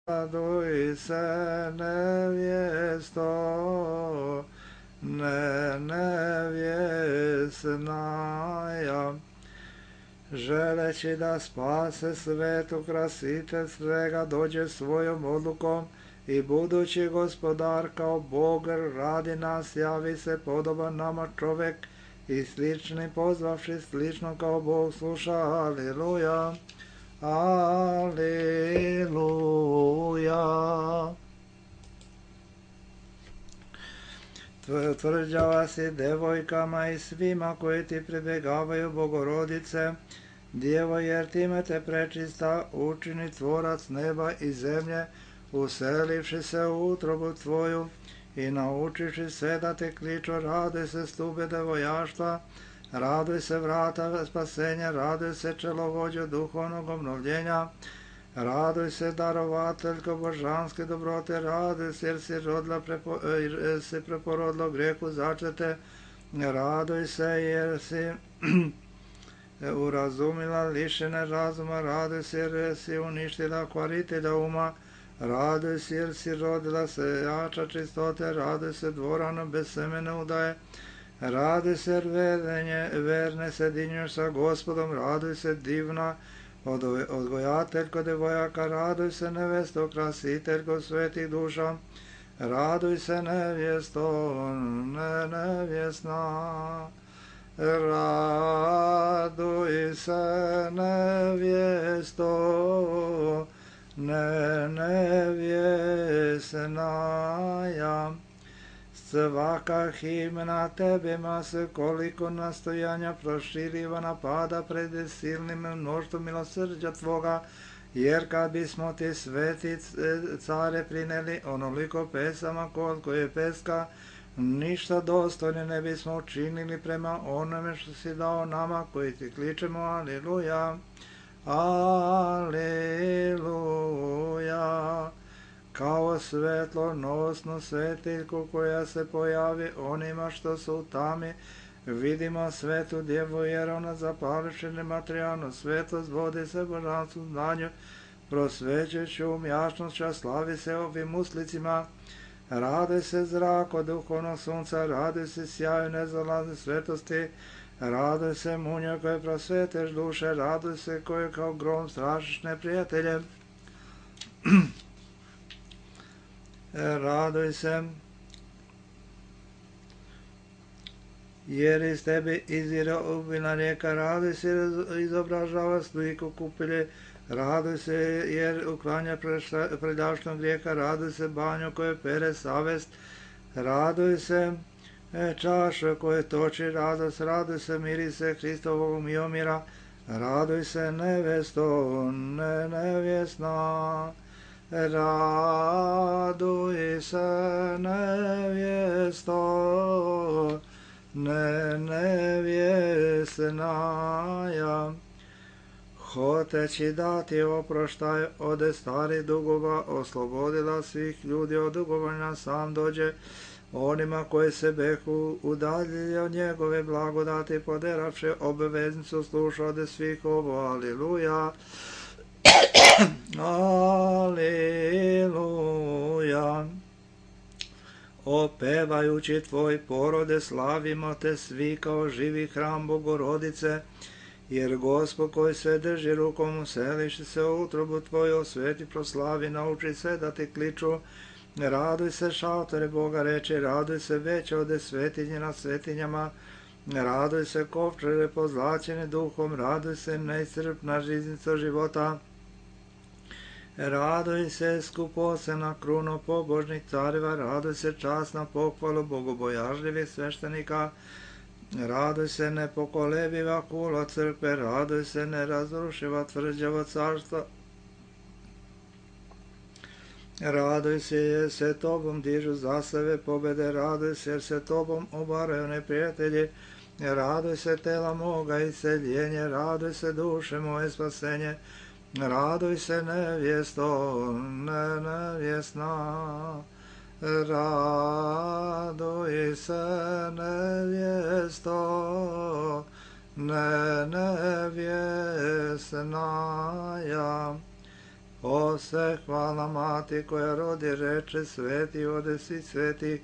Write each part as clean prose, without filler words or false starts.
Raduj se nevjesto, nevjesnaja, želeći da spase svetu krasitelj svega dođe svojom odlukom i budući gospodar kao Bog radi nas, javi se podoban nama čovek i slični pozvavši slično kao Bog sluša. Aleluja, aleluja. Tvrđava si devojkama i svima koji ti pribegavaju, Bogorodice, Djevo, jer time te prečista učini tvorac neba i zemlje, uselivši se u utrobu tvoju i naučiši sve da te kliču. Raduj se stube devojaštva, raduj se vrata spasenja, raduj se čelovođo duhovnog obnovljenja, raduj se darovateljko božanske dobrote, raduj se jer si preporodilo grehu začete, raduj se jer si urazumila lišene razuma, raduj se jer si uništila kvaritelja uma, raduj se jer si rodila sejača čistote, raduj se dvorano bez semene udaje, raduj se jer verne sedinjuješ sa Gospodom, raduj se divna odgojateljko devojaka, raduj se nevesto krasiteljko svetih duša, raduj se nevjesto nevjesna, raduj se nevjesto nevjesnaja. Svaka himna tebima se koliko nastojanja proširiva napada pred silnim mnoštvom milosrđa tvoga, jer kad bismo ti sveti care prineli onoliko pesama koje peska, ništa dostojne ne bismo učinili prema onome što si dao nama koji ti kličemo. Aleluja, aleluja. Kao svetlonosnu svetiljku koja se pojavi onima što su u tami, vidimo svetu djevu, jer ona zapališe nematerijalnu svetost, vodi se božanstvu znanju, prosvećujući jasnošću, a slavi se ovim uslicima. Raduj se zrako duhovnog sunca, raduj se sjaju nezalazne svetosti, raduj se munjo koje prosveteš duše, raduj se koje kao grom strašiš neprijatelje. Raduj se, jer iz tebe izvire obilna rijeka, raduj se jer izobražava sliku kupilje, raduj se jer uklanja predavštnog grijeha, raduj se banjo koje pere savest, raduj se čaša koje toči radost, raduj se mirise Hristovog miomira, raduj se nevesto nevjesna, raduj se nevjesto nevjesnaja. Hoteći dati oproštaj od starih dugova, oslobodila svih ljudi od dugovanja, sam dođe onima koji se behu udaljili od njegove blagodati, poderavše obveznicu, sluša od svih ovo. Aleluja, aleluja. Opevajući tvoj porode, slavimo te svi kao živi hram Bogorodice, jer Gospod koji sve drži rukom useliši se u utrobu tvoju, osveti, proslavi, nauči se da te kliču. Raduj se šaltore Boga reči, raduj se veće ode svetinje nad svetinjama, raduj se kovčere pozlaćene duhom, raduj se neiscrpna žiznica života, raduj se skuposena kruno pobožnih careva, raduj se časna pohvalu bogobojažljivih sveštenika, raduj se nepokolebiva kula crkve, raduj se nerazrušiva tvrđava carstva, raduj se jer se tobom dižu zasave pobede, raduj se jer se tobom obaraju neprijatelji, raduj se tela moga isceljenje, raduj se duše moje spasenje, raduj se nevjesto nevjesna, raduj se nevjesto nevjesnaja. O se hvala mati koja rodi reče sveti, ode svi sveti,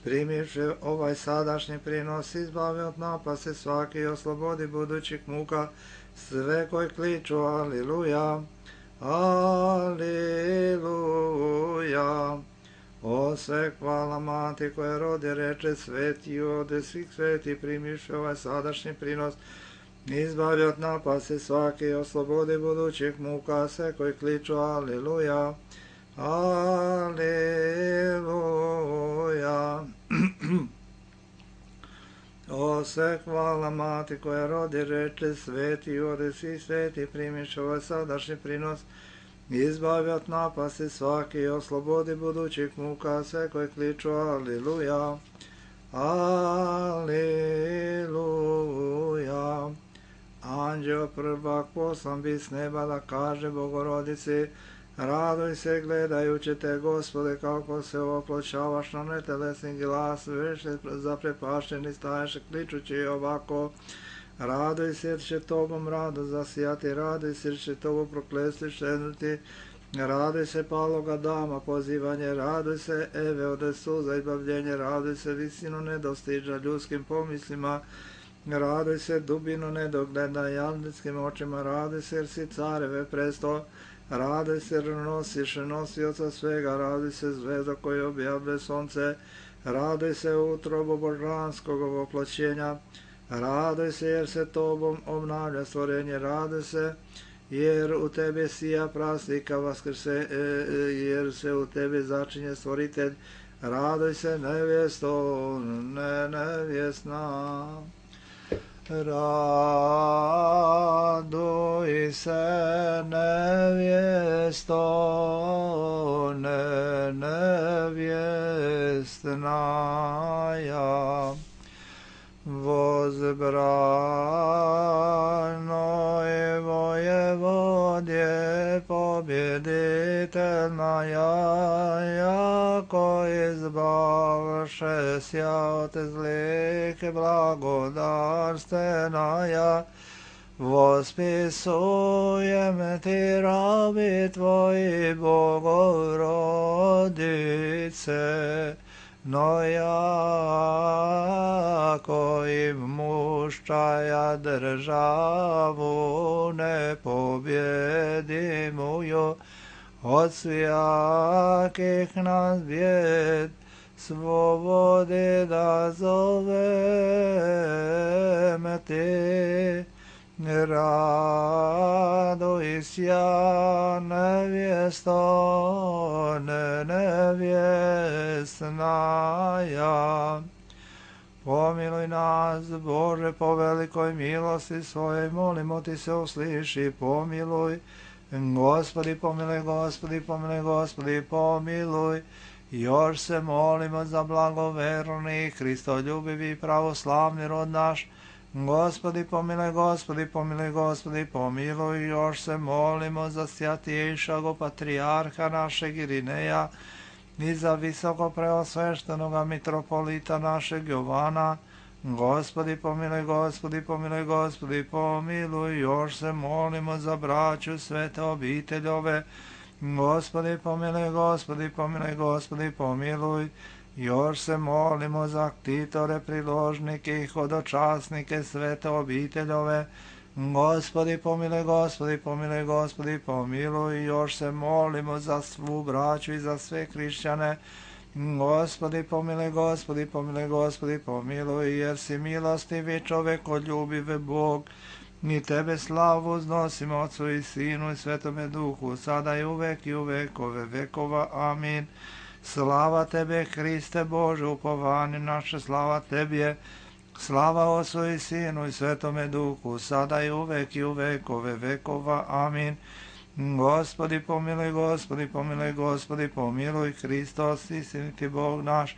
primivši ovaj sadašnji prinos, izbavi od napase svaki i oslobodi budućih muka sve koji kliču aliluja, aliluja. O se hvala mati koja rodi reče sveti, ode svih sveti, primivši ovaj sadašnji prinos, izbavi od napase svaki i oslobodi budućih muka sve koji kliču aliluja, aliluja. O se hvala mati koja rodi reče sveti, ode svi sveti, primiš ovaj sadašnji prinos, izbavi od napasti svaki i oslobodi budućih muka sve koji kliču aliluja, aliluja. Anđeo prvak poslan bi s neba da kaže Bogorodici, raduj se gledajući te, Gospode, kako se oploćavaš na netelesni glas, veše zaprepašteni staješ kličući ovako, raduj se jer će tobom radost zasijati, raduj se jer će tobo proklesti šednuti, raduj se paloga dama pozivanje, raduj se Eve ode suza izbavljenje, raduj se visinu nedostiža ljudskim pomislima, raduj se dubinu nedogleda jalnickim očima, raduj se jer si careve presto, raduj se jer nosiš nosioca svega, raduj se zvezda koji objavlja sonce, raduj se utrobo božanskog oploćenja, raduj se jer se tobom obnavlja stvorenje, raduj se jer u tebi sija praslika vaskrse, jer se u tebi začinje stvoritelj, raduj se nevjesto, nevjesna. Raduj se nevjesto, nevjestnaja, возбранoj vojevodje pobjeditelnaja, jako izbavše sja od zlike blagodarstvenaja, vospisujem ti rabi tvoji Bogorodice, no jako im muščaja državu nepobjedimuju, od svijakih nas bjed svobode da zovem ti. Raduj sja nevjesto, nevjesnaja. Pomiluj nas, Bože, po velikoj milosti svojej, molimo ti se, usliši, pomiluj. Gospodi, pomiluj, Gospodi, pomiluj, Gospodi, pomiluj. Još se molimo za blagoverni, Hristoljubivi, pravoslavni rod naš. Gospodi, pomiluj, Gospodi, pomiluj, Gospodi, pomiluj. Još se molimo za svjatiješago patrijarha našeg Irineja i za visoko preosveštenoga mitropolita našeg Jovana. Gospodi, pomiluj, Gospodi, pomiluj, Gospodi, pomiluj. Još se molimo za braću svete obiteljove. Gospodi, pomiluj, Gospodi, pomiluj, Gospodi, pomiluj. Još se molimo za ktitore, priložnike i hodočasnike svete obiteljove. Gospodi, pomiluj, Gospodi, pomiluj, Gospodi, pomiluj. Još se molimo za svu braću i za sve hrišćane. Gospodi, pomiluj, Gospodi, pomiluj, Gospodi, pomiluj, jer si milostivi čovekoljubiv Bog. Mi tebe slavu uznosimo Otcu i Sinu i Svetome Duhu, sada i uvek i u vekove vekova. Amin. Slava tebe, Hriste Bože, upovanje naše, slava tebi, slava Otcu i Sinu i Svetome Duhu, sada i u vekove vekova. Amin. Gospodi, pomiluj, Gospodi, pomiluj, Gospodi, pomiluj, Hristos, istiniti Bog naš,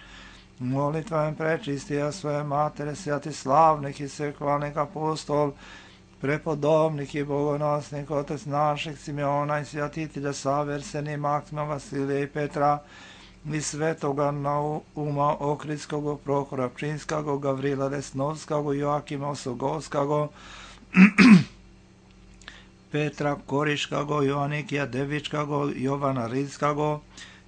molitvom prečistija svoje matere, svjati slavnih i svehvalnih apostol, prepodobnih i bogonosnih, Otec naših Simeona i svjatitelja Save, Arsenija, Maksima, Vasilija i Petra, i svetoga Nauma Ohridskog, Prohora Pčinskog, Gavrila Resnovskog, Joakima Osogovskog, Petra Koriškago, Joanikija Devičkago, Jovana Ridskago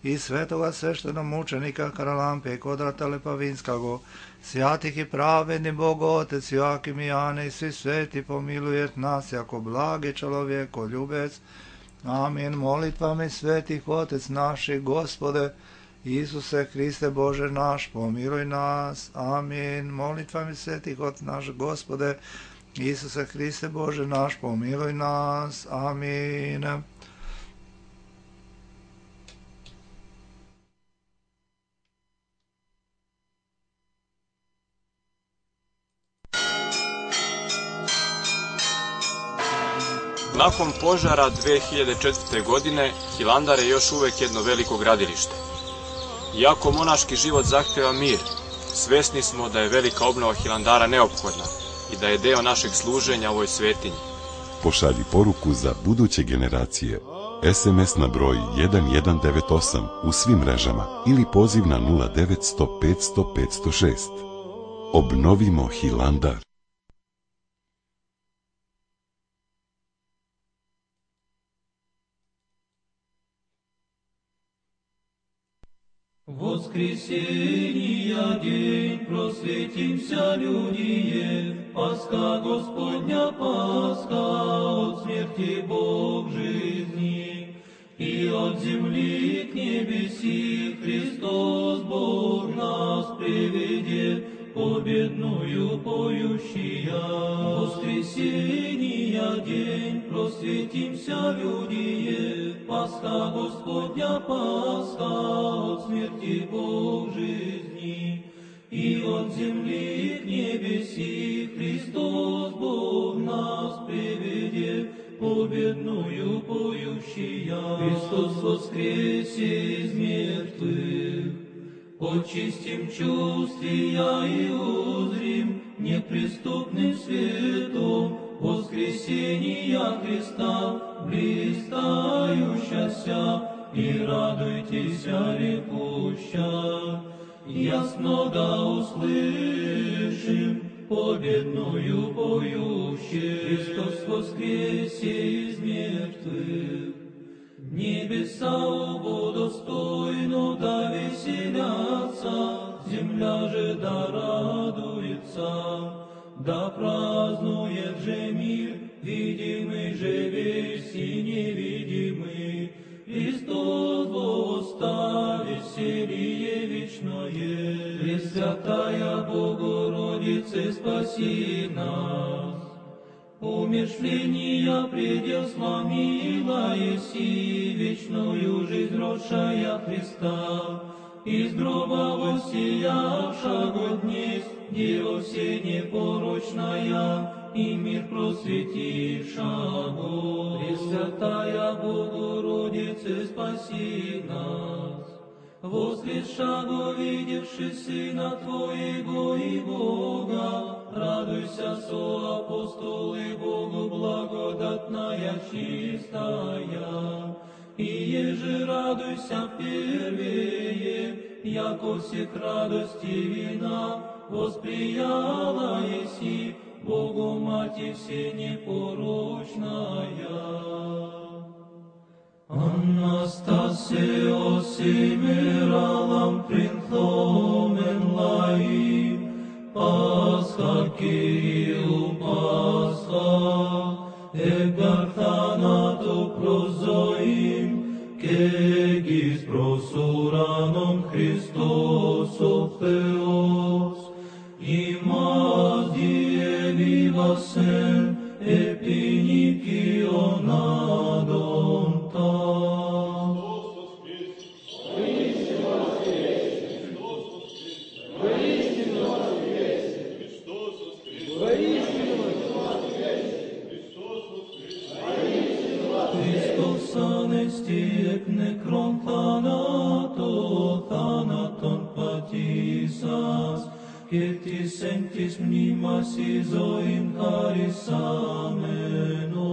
i svetoga sveštenomučenika Karalampe Kodrata Lepavinskago, svjatih i pravedni Bogo Otec Joakim i Jane i svi sveti pomilujet nas jako blagi čovjeko ljubec. Amin. Molitvami svetih Otec naših, Gospode Isuse Hriste Bože naš, pomiluj nas. Amin. Molitvami svetih Otec naš, Gospode Isuse Hriste Bože naš, pomiluj nas. Amin. Nakon požara 2004. godine, Hilandar je još uvek jedno veliko gradilište. Iako monaški život zahteva mir, svesni smo da je velika obnova Hilandara neophodna i da je deo našeg služenja ovoj svetinji. Pošalji poruku za buduće generacije. SMS na broj 1198 u svim mrežama ili poziv na 0900 500 506. Obnovimo Hilandar. Воскресенья день, просветимся, людие, Пасха Господня, Пасха, от смерти Бог жизни, и от земли к небеси Христос Бог нас приведет, победную поющия. Воскресенья день, просветимся, людие, Пасха Господня, Пасха, от смерти Бог жизни, и от земли к небеси Христос Бог нас приведет, победную поющия. Христос воскресе из мертвых, очистим чувствия и узрим неприступным светом воскресения Христа, блистающаяся, и радуйтесь, рекуща. Ясно да услышим победную поющую. Христос воскресе из мертвых, небеса Его достойно да веселятся, земля же да радуется, да празднует же мир, видимый же весь и невидимый. Христос восстал, веселье вечное. Пресвятая Богородице, спаси нас. Умершления предел сломила еси, вечную жизнь росшая Христа, из гроба воссиявшего днесь, Дева все непорочная, и мир просветившего. Пресвятая Богородице, спаси нас. Воскресшего, видевши Сына Твоего и Бога, радуйся, соапостолы Богу благодатная чистая. И еже радуйся первее, яко всех радости вина, восприяла еси Богу Мати все непорочная. Anastasio simeralam princhomen laim, Pascha Kyriou Pascha, egarthanato prozoim, kegis prosuranon Christos o Theos, imas die vivasen epinicionadon ta. Christos anesti ec necron thanaton patisas, Cetis sentis mnimas isoin charis ameno.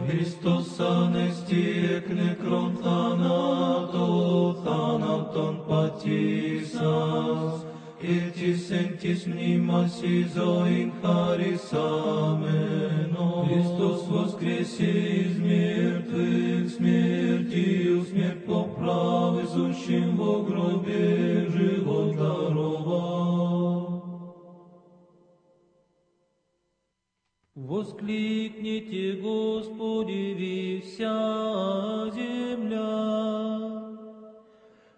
Christos anesti ec necron thanaton patisas, et sentis mnimas in charis ameno. Hristos воскресе из мертвых, смертью смерть поправ, изущим во гробе живот даровал. Воскликните, Господи, ви вся земля.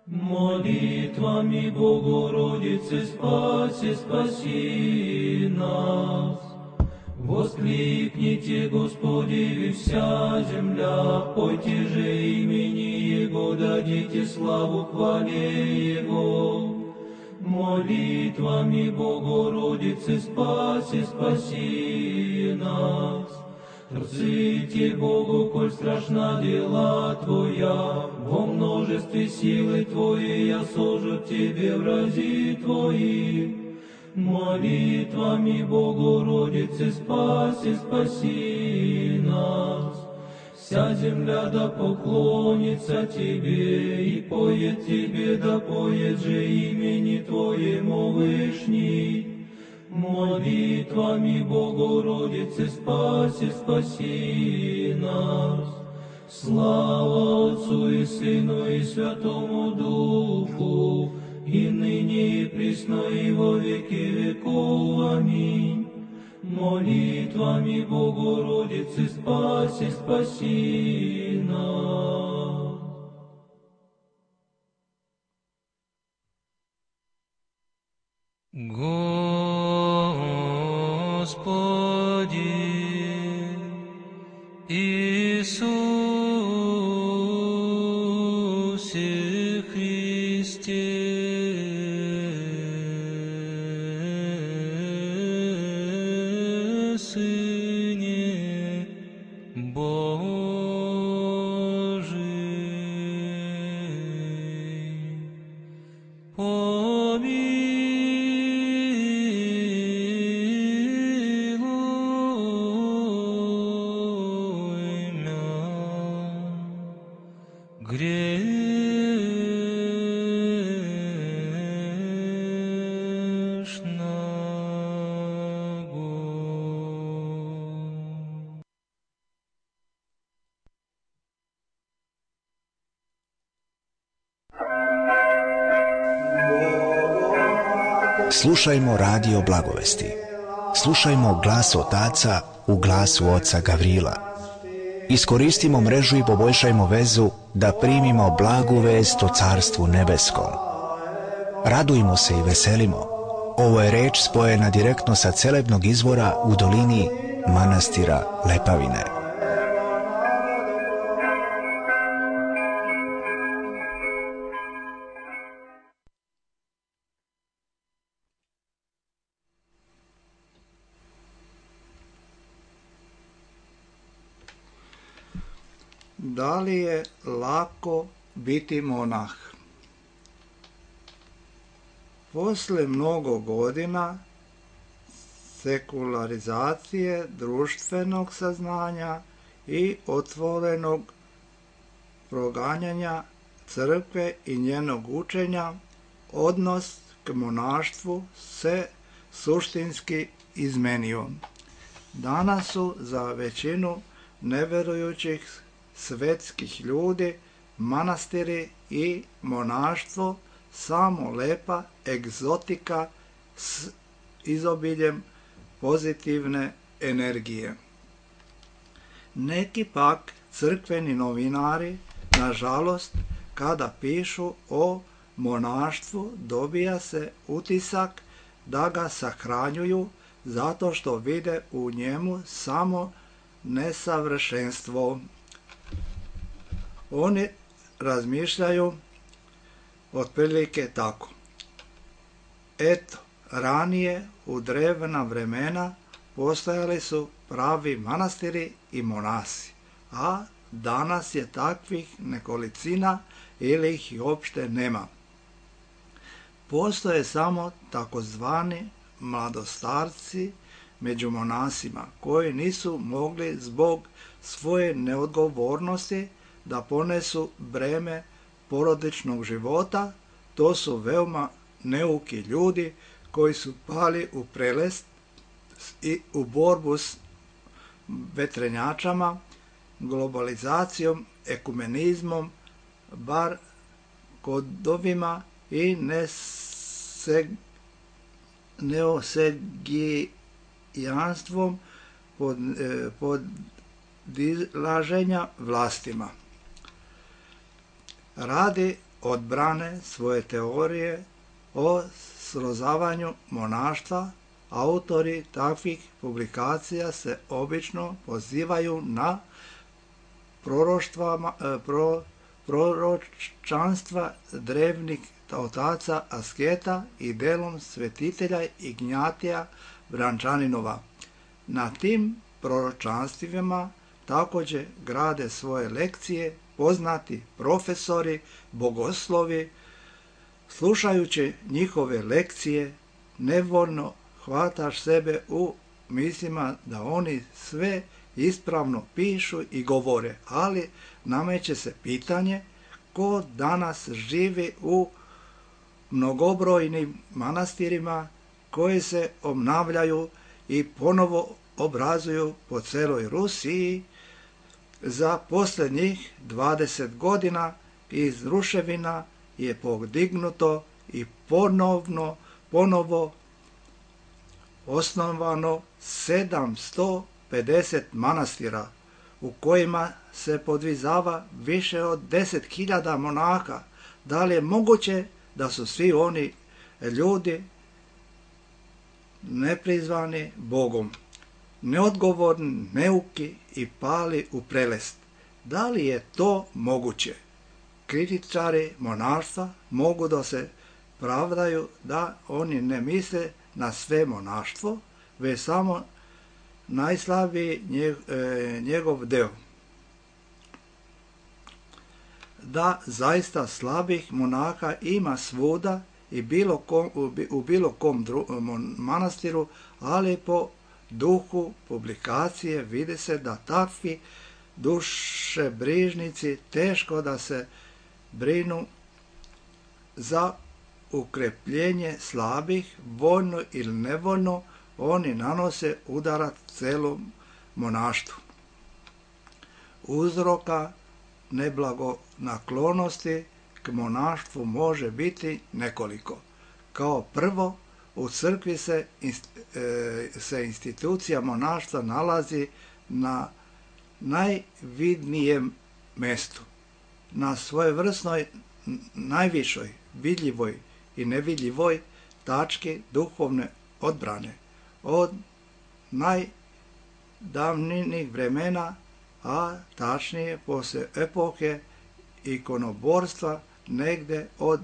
Молитвами Богородицы спаси, спаси нас. Воскликните, Господи, ви вся земля, пойте же имени Его, дадите славу хвале Его. Молитвами Богородицы спаси, спаси нас. Трците Богу, коль страшна дела Твоя, во множестве силы Твоей осужут Тебе врази Твои. Молитвами Богородицы спаси, спаси нас. Вся земля да поклонится Тебе, и поет Тебе, да поет же имени Твоему Вышний. Молитвами Богородицы спаси, спаси нас. Слава Отцу и Сыну и Святому Духу, и ныне и присно и во веки веков. Аминь. Молитвами Богородицы спаси, спаси нас. Господи Иисусе Христе, Сыне Божий, помилуй мя, грешного. Slušajmo radio Blagovesti. Slušajmo glas otaca u glasu oca Gavrila. Iskoristimo mrežu i poboljšajmo vezu da primimo blagu vest o Carstvu nebeskom. Radujmo se i veselimo. Ovo je reč spojena direktno sa celebnog izvora u dolini manastira Lepavine. Da li je lako biti monah? Posle mnogo godina sekularizacije društvenog saznanja i otvorenog proganjanja crkve i njenog učenja, odnos k monaštvu se suštinski izmenio. Danas su za većinu neverujućih svetskih ljudi manastiri i monaštvo samo lepa egzotika s izobiljem pozitivne energije. Neki pak crkveni novinari, nažalost, kada pišu o monaštvu, dobija se utisak da ga sahranjuju zato što vide u njemu samo nesavršenstvo. Oni razmišljaju otprilike tako. Eto, ranije u drevna vremena postojali su pravi manastiri i monasi, a danas je takvih nekolicina ili ih i uopšte nema. Postoje samo takozvani mladostarci među monasima koji nisu mogli zbog svoje neodgovornosti da ponesu breme porodičnog života. To su veoma neuki ljudi koji su pali u prelest i u borbu s vetrenjačama, globalizacijom, ekumenizmom, bar kodovima i neosegijanstvom podilaženja vlastima. Radi odbrane svoje teorije o srozavanju monaštva, autori takvih publikacija se obično pozivaju na proročanstva drevnih otaca asketa i delom svetitelja Ignjatija Brančaninova. Na tim proročanstvima također grade svoje lekcije poznati profesori, bogoslovi. Slušajući njihove lekcije, nevoljno hvataš sebe u mislima da oni sve ispravno pišu i govore, ali nameće se pitanje ko danas živi u mnogobrojnim manastirima koji se obnavljaju i ponovo obrazuju po celoj Rusiji. Za posljednjih 20 godina iz ruševina je podignuto i ponovo osnovano 750 manastira u kojima se podvizava više od 10.000 monaha. Da li je moguće da su svi oni ljudi neprizvani Bogom, neodgovorni, neuki i pali u prelest? Da li je to moguće? Kritičari monaštva mogu da se pravdaju da oni ne misle na sve monaštvo, već samo najslabiji njegov deo. Da zaista slabih monaha ima svuda i u bilo kom manastiru, ali po duhu publikacije vidi se da takvi dušebrižnici teško da se brinu za ukrepljenje slabih, voljno ili nevoljno, oni nanose udarac celom monaštvu. Uzroka neblagonaklonosti k monaštvu može biti nekoliko. Kao prvo, u crkvi se institucija monaštva nalazi na najvidnijem mestu, na svojevrsnoj najvišoj, vidljivoj i nevidljivoj tački duhovne odbrane od najdavnijih vremena, a tačnije poslije epohe ikonoborstva negde od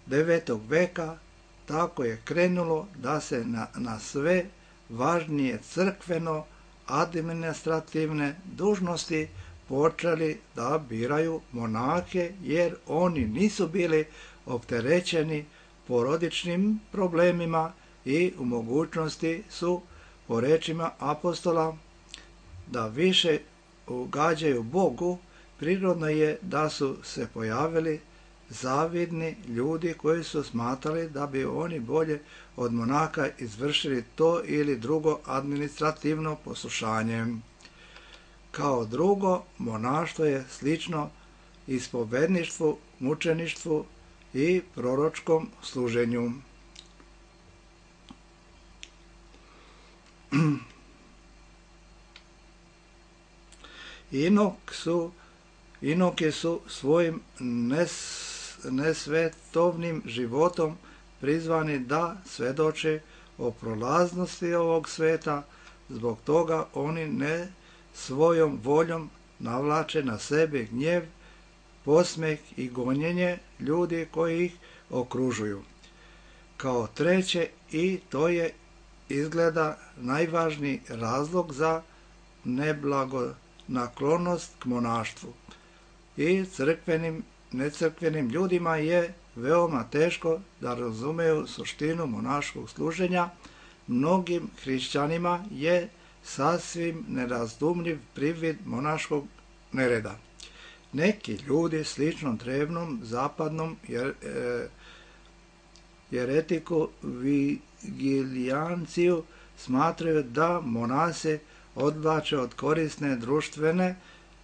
9. veka. Tako je krenulo da se na sve važnije crkveno administrativne dužnosti počeli da biraju monahe, jer oni nisu bili opterećeni porodičnim problemima i u mogućnosti su, po rečima apostola, da više ugađaju Bogu. Prirodno je da su se pojavili zavidni ljudi koji su smatrali da bi oni bolje od monaha izvršili to ili drugo administrativno poslušanje. Kao drugo, monaštvo je slično ispovedništvu, mučeništvu i proročkom služenju. Inoke su svojim nesvetovnim životom prizvani da svedoče o prolaznosti ovog sveta, zbog toga oni ne svojom voljom navlače na sebe gnjev, posmeh i gonjenje ljudi koji ih okružuju. Kao treće, i to je izgleda najvažniji razlog za neblagonaklonost k monaštvu, i necrkvenim ljudima je veoma teško da razumeju suštinu monaškog služenja. Mnogim hrišćanima je sasvim nerazdumljiv privid monaškog nereda. Neki ljudi slično drevnom zapadnom jeretiku Vigilijanciju smatraju da monasi odvlače od korisne društvene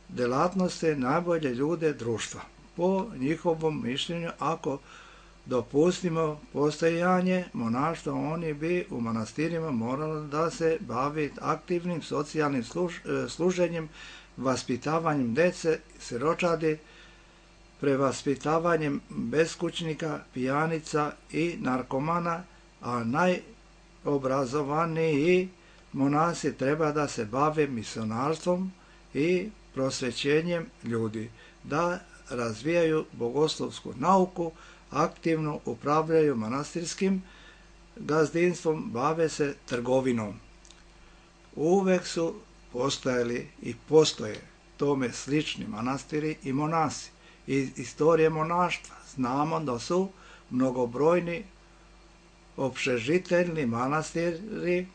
delatnosti najbolje ljude društva. Po njihovom mišljenju, ako dopustimo postojanje monaštva, oni bi u manastirima morali da se bavi aktivnim socijalnim služenjem, vaspitavanjem dece, siročadi, prevaspitavanjem beskućnika, pijanica i narkomana, a najobrazovaniji monasi treba da se bave misionarstvom i prosvećenjem ljudi, da razvijaju bogoslovsku nauku, aktivno upravljaju manastirskim gazdinstvom, bave se trgovinom. Uvek su postojali i postoje tome slični manastiri i monasi. Iz istorije monaštva znamo da su mnogobrojni opšežiteljni manastiri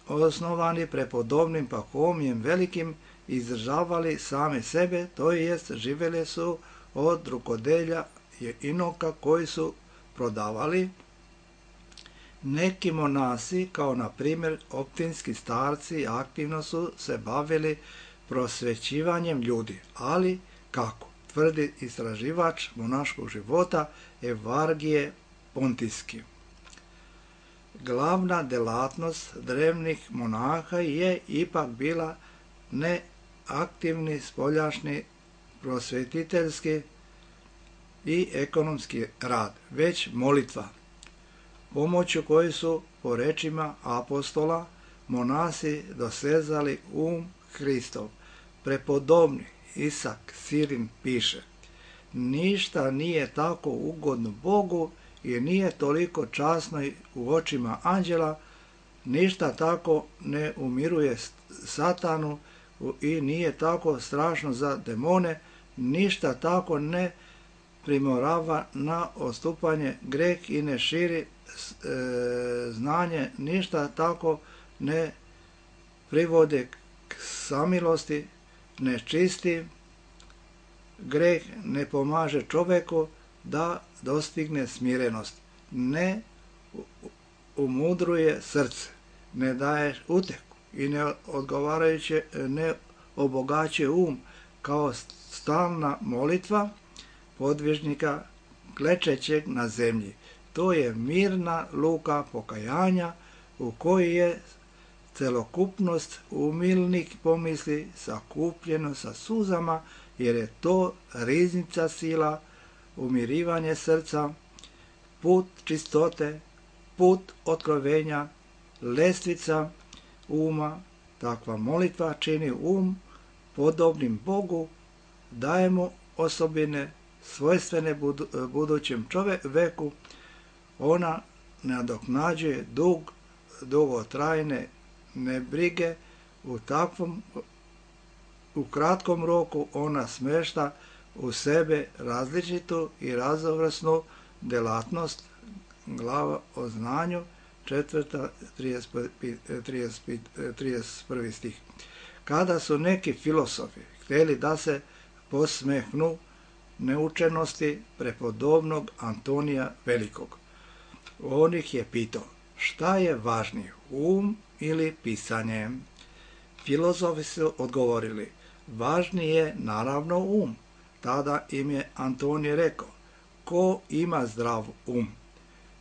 osnovani prepodobnim Pahomijem Velikim, izdržavali same sebe, to jest živjeli su od rukodelja inoka koji su prodavali. Neki monasi, kao na primjer optinski starci, aktivno su se bavili prosvećivanjem ljudi, ali kako? Tvrdi istraživač monaškog života Evargije Pontijski. Glavna delatnost drevnih monaha je ipak bila ne aktivni spoljašnji prosvetiteljski i ekonomski rad, već molitva, pomoću koje su, po rečima apostola, monasi dosezali Hristov. Prepodobni Isak Sirin piše: ništa nije tako ugodno Bogu i nije toliko časno u očima anđela, ništa tako ne umiruje satanu i nije tako strašno za demone, ništa tako ne primorava na odstupanje greh i ne širi znanje, ništa tako ne privode k samilosti, ne čisti greh, ne pomaže čoveku da dostigne smirenost, ne umudruje srce, ne daje uteku i ne obogaćuje kao stalna molitva podvižnika klečećeg na zemlji. To je mirna luka pokajanja u kojoj je celokupnost umilnih pomisli sakupljeno sa suzama, jer je to riznica sila, umirivanje srca, put čistote, put otkrovenja, lestvica uma. Takva molitva čini podobnim Bogu, daje mu osobine svojstvene budućem čoveku. Ona nadoknađuje dugotrajne nebrige. U kratkom roku ona smešta u sebe različitu i raznovrsnu delatnost. Glava o znanju, 4. 31. stih. Kada su neki filosofi htjeli da se posmehnu neučenosti prepodobnog Antonija Velikog, on ih je pitao: šta je važnije, ili pisanje? Filozofi su odgovorili: važnije je naravno Tada im je Antonij rekao: ko ima zdrav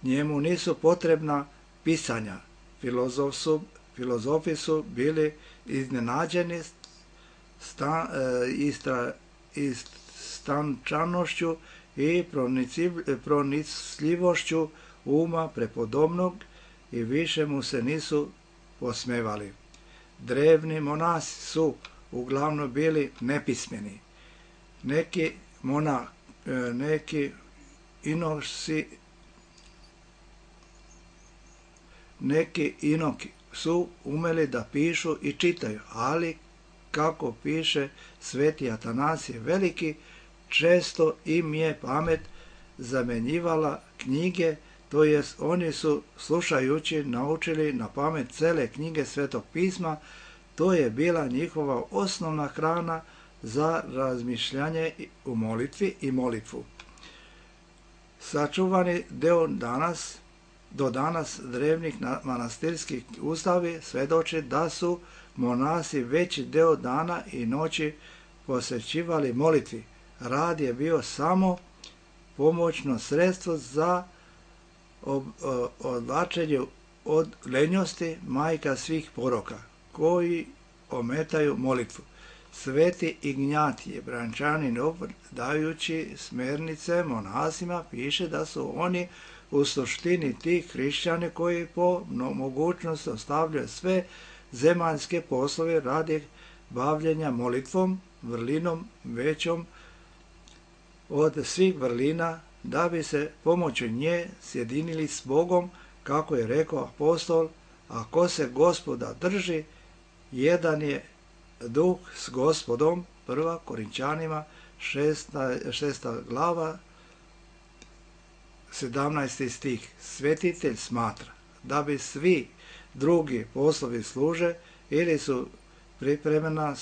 njemu nisu potrebna pisanja. Filozofi su bili iznenađeni istančanošću i pronicljivošću prepodobnog i više mu se nisu posmevali. Drevni monasi su uglavnom bili nepismeni. Neki inoki su umeli da pišu i čitaju, ali kako piše sveti Atanasije Veliki, često im je pamet zamenjivala knjige, to jest oni su slušajući naučili na pamet cele knjige Svetog pisma. To je bila njihova osnovna hrana za razmišljanje u molitvi i molitvu. Sačuvani do danas drevnih manastirskih ustavi svjedoči da su monasi veći deo dana i noći posvećivali molitvi. Rad je bio samo pomoćno sredstvo za odvlačenje od lenjosti, majka svih poroka, koji ometaju molitvu. Sveti Ignjatije Brančanin, dajući smjernice monasima, piše da su oni u suštini ti hrišćani koji po mogućnosti ostavljaju sve zemaljske poslove radi bavljenja molitvom, vrlinom većom od svih vrlina, da bi se pomoću nje sjedinili s Bogom, kako je rekao apostol, a ko se Gospoda drži, jedan je duh s Gospodom. 1. Korinčanima 6. glava 17. stih. Svetitelj smatra da bi svi drugi poslovi služe ili su pripremena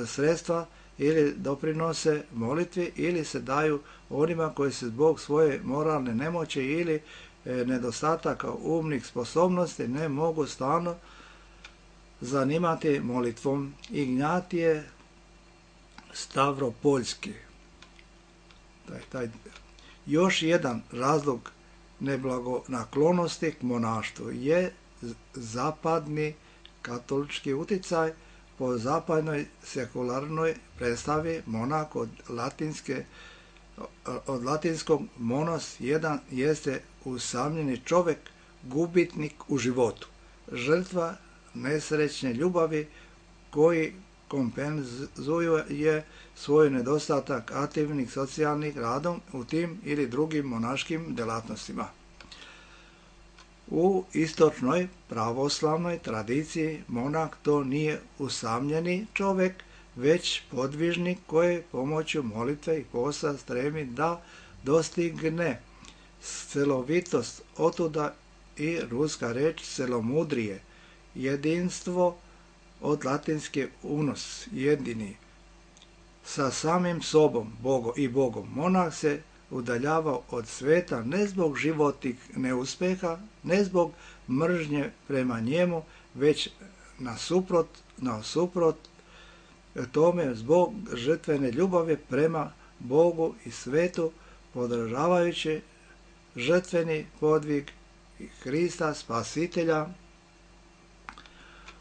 sredstva ili doprinose molitvi ili se daju onima koji se zbog svoje moralne nemoći ili nedostataka umnih sposobnosti ne mogu stalno zanimati molitvom. Ignjatije Stavropoljski. Još jedan razlog neblagonaklonosti k monaštvu je zapadni katolički utjecaj. Po zapadnoj sekularnoj predstavi monah od latinskog monos jedan jeste usamljeni čovjek, gubitnik u životu, žrtva nesrećne ljubavi koji kompenzuje svoj nedostatak aktivnih socijalnih radom u tim ili drugim monaškim djelatnostima. U istočnoj pravoslavnoj tradiciji monah to nije usamljeni čovjek, već podvižnik koji pomoću molitve i posta stremi da dostigne celovitost. Otuda i ruska reč celomudrije, jedinstvo od latinske unos, jedini. Sa samim sobom i Bogom monah se udaljavao od sveta ne zbog životnih neuspeha, ne zbog mržnje prema njemu, već nasuprot tome zbog žrtvene ljubavi prema Bogu i svetu, podržavajući žrtveni podvig Hrista Spasitelja.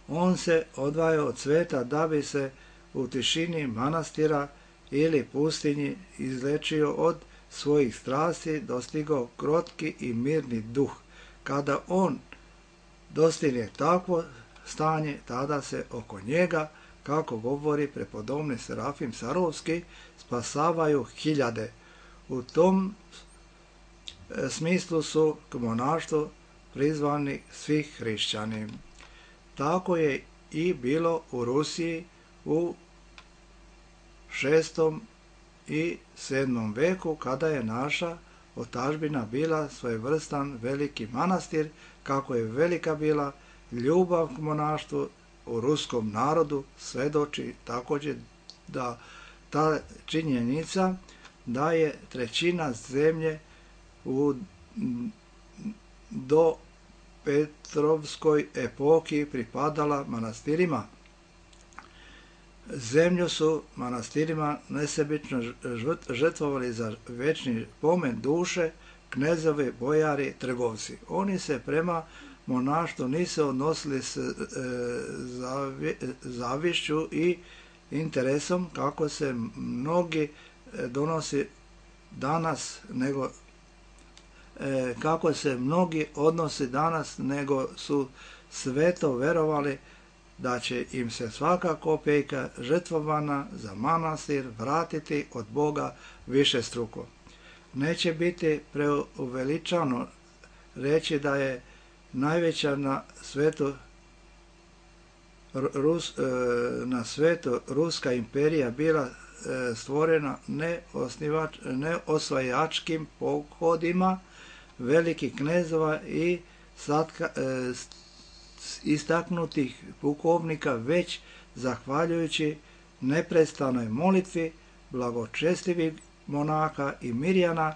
On se odvaja od sveta da bi se u tišini manastira ili pustinji izlečio od svojih strasti, dostigao krotki i mirni duh. Kada on dostigne takvo stanje, tada se oko njega, kako govori prepodobni Serafim Sarovski, spasavaju hiljade. U tom smislu su k monaštvu prizvani svi hrišćani. Tako je i bilo u Rusiji u 6. i 7. veku, kada je naša otadžbina bila svojevrstan veliki manastir, kako je velika bila ljubav k monaštvu u ruskom narodu, svedoči također da ta činjenica da je trećina zemlje do Petrovskoj epohi pripadala manastirima. Zemlju su manastirima nesebično žrtvovali za večni pomen duše knezovi, bojari, trgovci. Oni se prema monaštvu nisu odnosili s zavišću i interesom, kako se mnogi donosi danas, kako se mnogi odnosi danas, nego su sveto verovali da će im se svaka kopejka žrtvovana za manastir vratiti od Boga višestruko. Neće biti preuveličano reći da je najveća na svetu ruska imperija bila stvorena ne osvajačkim pohodima velikih knezova i istaknutih pukovnika, već zahvaljujući neprestanoj molitvi blagočestivih monaha i mirjana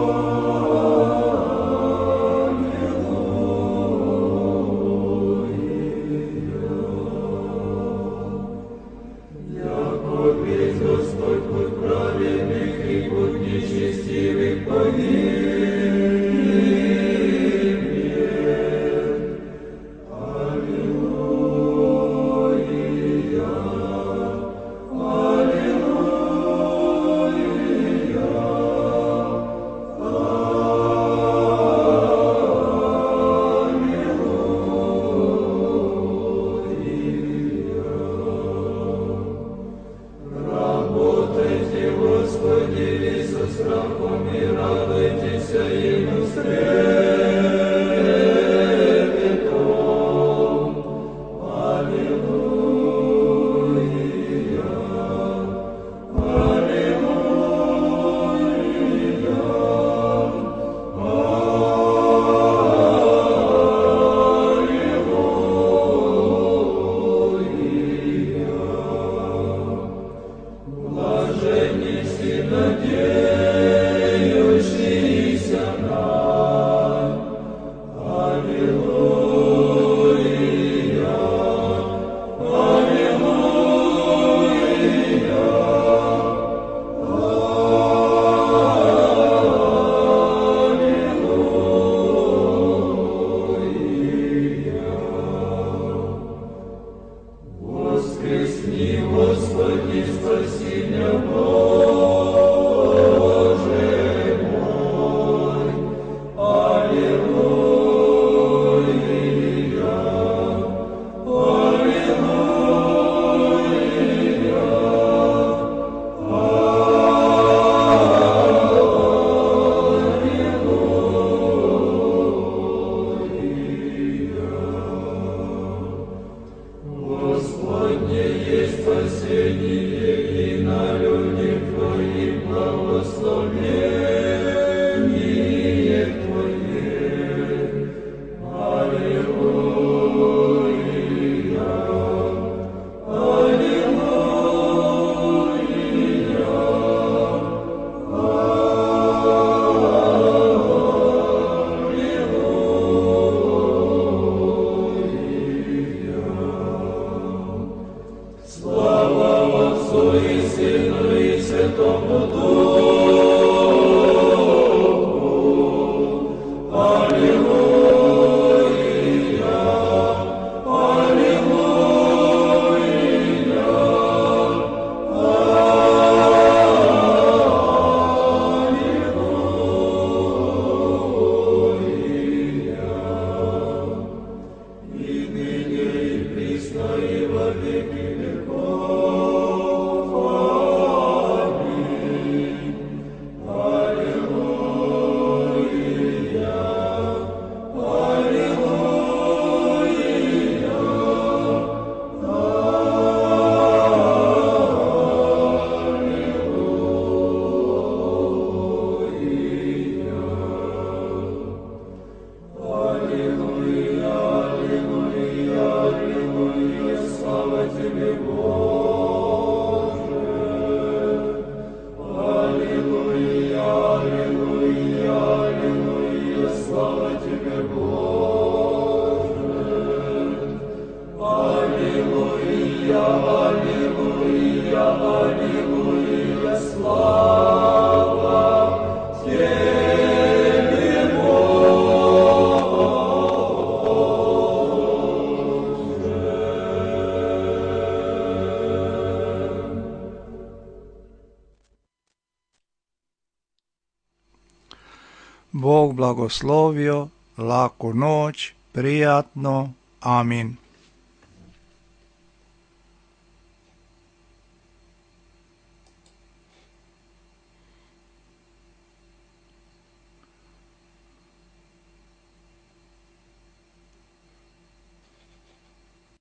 Bog blagoslovio, laku noć, prijatno, amin.